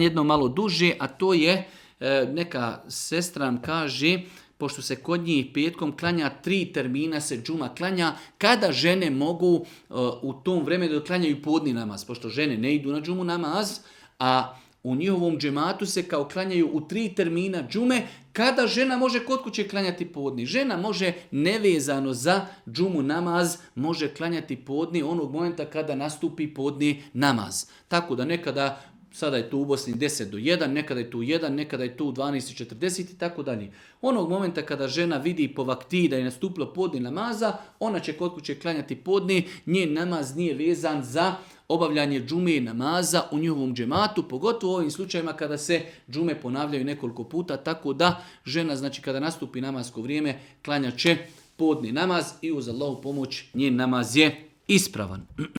jedno malo duže, a to je, neka sestra nam kaže, pošto se kod njih petkom klanja 3 termina se džuma klanja, kada žene mogu u tom vremenu da klanjaju podni namaz, pošto žene ne idu na džumu namaz, a u njihovom džematu se kao klanjaju u 3 termina džume, kada žena može kod kuće klanjati podni. Žena može nevezano za džumu namaz, može klanjati podni onog momenta kada nastupi podni namaz. Tako da nekada, sada je tu u Bosni 10 do 1, nekada je tu 1, nekada je tu 12:40 i tako dalje. Onog momenta kada žena vidi po vakti da je nastupilo podni namaza, ona će kod kuće klanjati podni, njen namaz nije vezan za obavljanje džume i namaza u njihovom džematu, pogotovo u ovim slučajima kada se džume ponavljaju nekoliko puta, tako da žena, znači kada nastupi namasko vrijeme, klanja će podni namaz i uz Allahu pomoć njen namaz je ispravan.